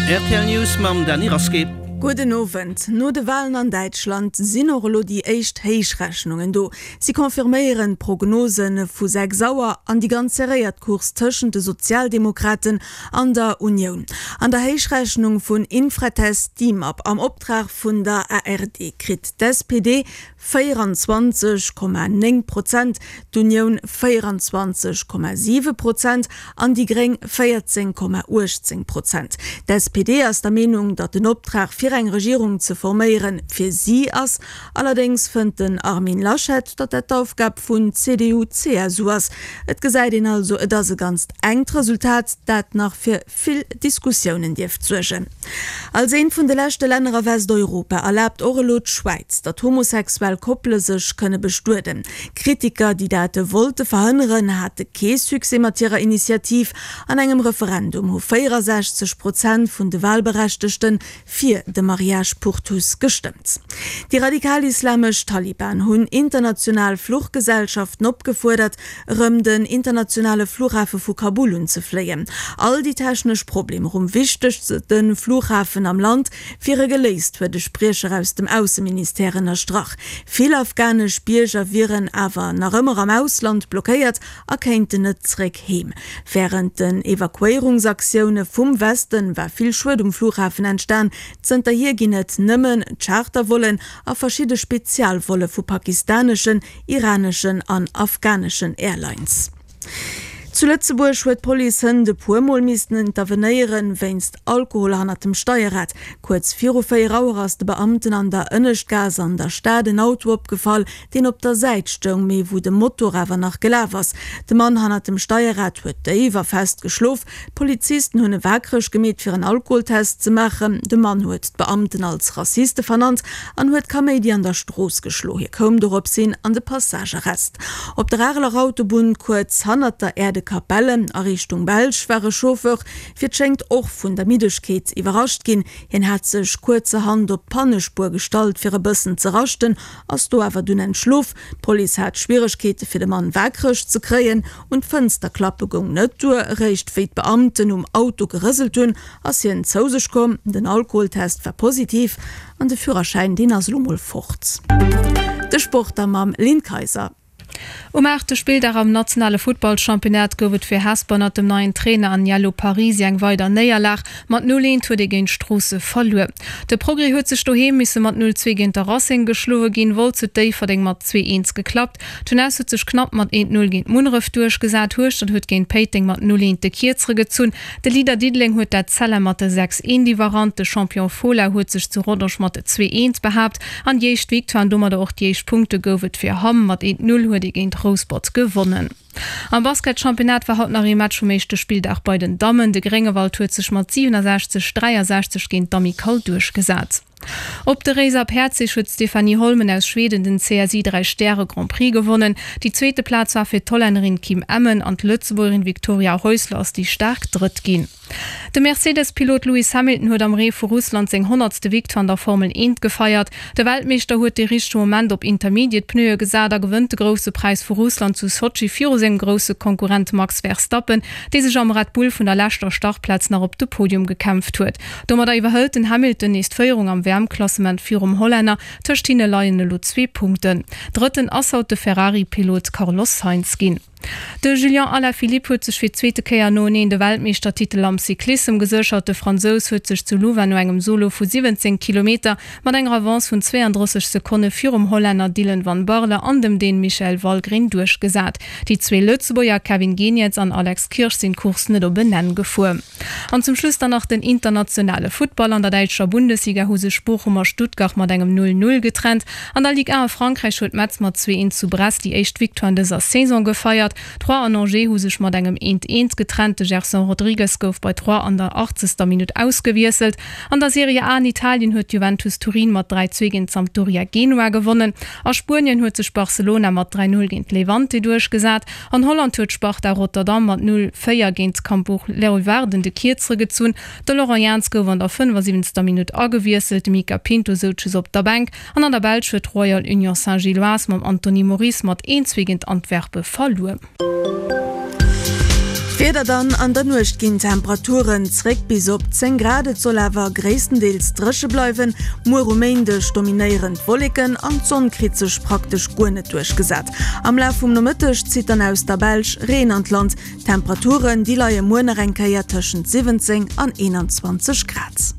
Rtl News mam Dany Rasqué. Gudden Owend. No de Walen an Däitschland sinn och elo déi éischt Héichrechnungen do. Si confirméieren d'Prognose vu 6 Auer an déi ganz serréiert Course tëschent de Sozialdemokraten an der Unioun. An der Héichrechnung vun Infratest Dimap am Optrag vun der ARD kritt d'SPD 24,9 Prozent, d'Unioun 24,7 Prozent an déi Gréng 14,18 Prozent. D'SPD ass der Meenung, datt den Optrag fir eng Regierung ze forméieren, fir si ass. Allerdéngs fënnt den Armin Laschet, datt dat d'Aufgab vun CDU-CSU ass. Et gesäit een also, et ass e ganzt enkt Resultat, dat nach fir vill Diskussiounen dierft suergen. Als eent vun de leschte Länner a Westeuropa erlaabt och elo d'Schwäiz, datt homosexuell Koppele sech kënne bestueden. Kritiker, déi dat wollte verhënneren, hate kee Succès mat hirer Initiativ. An engem Referendum hu 64 Prozent vun de Walberechtegte fir de Mariage pour tous gestëmmt. Déi radikal-islamesch Taliban hunn international Fluchgesellschaften opgefuerdert, erëm den internationale Flughafe vu Kabul unzefléien. All déi technesch Problemer um wichtegste Flughafen am Land wiere geléist, huet e Spriecher aus dem Ausseministère ënnerstrach. Vill afghanesch Bierger wieren awer nach ëmmer am Ausland blockéiert a kéinten net zeréck heem. Wärend den Evakuéierungsaktioune vum Westen war vill Schued um Flughafen entstan. Zënterhier ginn et nëmmen Chartervollen a verschidde Spezialvolle vu pakistaneschen, iraneschen an afghaneschen Airlines. Zu Lëtzebuerg huet d'Police hënt e puer Mol missten intervenéieren, wéinst Alkohol hannert dem Steierrad. Kuerz viru 4 Auer ass de Beamten an der Ënneschtgaass an der Stad en Auto opgefall, deen op der Säit stoung, mee wou de Motor awer nach gelaf ass. De Mann hannert dem Steierrad huet déif a fest geschlof. D'Polizisten hunn e waakreg gemeet fir en Alkoholtest ze maachen. De Mann huet d'Beamten als Rassiste vernannt an huet Kaméidi an der Strooss geschlo. Hie koum dorops hin an de Passagearrest. Op der Areler Autobunn kuerz hannert der Äerdekapelle a Richtung Belsch war e Chauffeur fir d'schéngt och vun der Middegkeet iwwerrascht ginn. Hien hat sech kuerzerhand op d'Pannespuer gestallt fir e bëssen ze raschten, ass do awer dunn entschlof. D'Police hat Schwieregkeete fir de Mann waakreg ze kréien. Un d'Fënster klappe goung net duer. Eréischt wéi d'Beamten um Auto gerëselt hunn, ass hien zou sech komm. Den Alkoholtest war positiv an de Führerschäin, deen ass elo mol fort. De Sport da mam Lynn Kayser. Um aachte Spilldag am nationale Futtballchampionnat gouf et fir Hesper ënnert dem neien Trainer Aniello Parisi eng weider Néierlag. Mat 0, 1 huet ee géint Stroosse verluer. De Progrès huet sech doheem misse mat 0, 2 géint de Racing geschloe ginn. Wolz huet Déifferdeng mat 2, 1 geklappt. D'Jeunesse huet sech knapp mat 1, 0 géint Munneref duerchgesat. Hueschtert huet géint Péiteng mat 0, 1 de Kierzere gezunn. De Leader Diddeleng huet d'Etzella mat 6, 1 iwwerrannt. De Champion Fola huet sech zu Rodange mat 2, 1 behaapt. An déi éischt Victoire an domadder och déi éischt Punkte gouf et fir Hamm. Mat 1, 0 huet ee géint Rouspert gewonnen. Am Basketchampionnat war haut nach ee Match vum éischte Spilldag bei den Dammen. De Gréngewald huet sech mat 67, 63 géint d'Amicale duerchgesat. Op de Réiser Päerdsich huet d'Stéphanie Holmen aus Schweden den CSI 3 Stäre Grand Prix gewonnen. Déi zweete Plaz war fir d'Hollännerin Kim Emmen an d'Lëtzebuergerin Victoria Häusler ass déi staark Drëtt ginn. De Mercedes-Pilot Lewis Hamilton huet am Ree vu Russland seng honnertste Victoire an der Formel 1 gefeiert. De Weltmeeschter huet dee richtege Moment op Intermediate-Pneue gesat a gewënnt de Grousse Präis vu Russland zu Sotschi viru sengem grousse Konkurrent Max Verstappen, dee sech am Red Bull vun der leschter Startplaz nach op de Podium gekämpft huet. Domadder iwwerhëlt den Hamilton nees d'Féierung am WM-Klassement virum Hollänner. Tëscht hinne leien elo zwee Punkten. Drëtten ass haut de Ferrari-Pilot Carlos Sainz ginn. De Julian Alaphilippe huet sech fir d'zweete Kéier noeneen de Weltmeeschtertitel am Cyclissem geséchert. De Fransous huet sech zu Louvain no engem Solo vu 17 Kilometer mat enger Avance vun 32 Sekonne virum Hollänner Dylan van Baarle an dem Dän Michael Valgren duerchgesat. Déi zwee Lëtzebuerger Kevin Geniets an Alex Kirsch sinn d'Course net op en Enn gefuer. An zum Schluss dann nach den internationale Futtball. An der däitscher Bundesliga hu sech Bochum a Stuttgart mat engem 0, 0 getrennt. An der Ligue 1 a Frankräich huet Metz mat 2, 1 zu Brest déi éischt Victoire an dëser Saison gefeiert. Troyes an Angers hu sech mat engem 1, 1 getrennt. De Gerson Rodrigues gouf bei Troyes an der 80. Minutt ausgewiesselt. An der Serie A an Italien huet Juventus Turin mat 3, 2 géint Sampdoria Genua gewonnen. A Spuenien huet sech Barcelona mat 3, 0 géint Levante duerchgesat. An Holland huet Sparta Rotterdam mat 0, 4 géint Cambuur Leeuwarden de Kierzere gezunn. De Laurent Jans gouf an der 75. Minutt agewiesselt, de Mica Pinto souz just op der Bänk. An an der Belsch huet Royal Union Saint-Gilloise mam Anthony Moris mat 1, 2 géint Antwerpe verluer. D'Wieder dann, An der Nuecht ginn d'Temperaturen zréck bis op 10 Grad, et soll awer gréisstendeels dréche bleiwen. Muer um Méindeg dominéieren d'Wolleken an d'Sonn kritt sech praktesch guer net duerchgesat. Am Laf vum Nomëtteg zitt dann aus der Belsch Reen an d'Land. D'Temperaturen, déi leie muer nach eng Kéier tëschent 17 an 21 Grad.